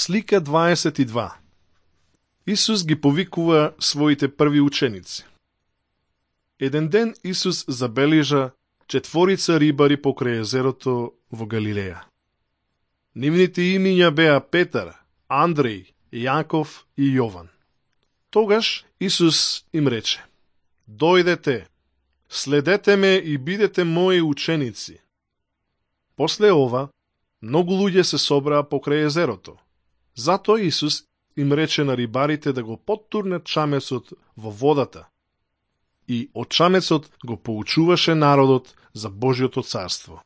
Слика 22. Исус ги повикува своите први ученици. Еден ден Исус забележа 4 рибари покрај езерото во Галилеја. Нивните имиња беа Петар, Андреј, Јаков и Јован. Тогаш Исус им рече: "Дојдете, следете ме и бидете мои ученици." После ова, многу луѓе се собраа покрај езерото. Затоа Исус им рече на рибарите да го поттурнат чамецот во водата. И од чамецот го поучуваше народот за Божјото царство.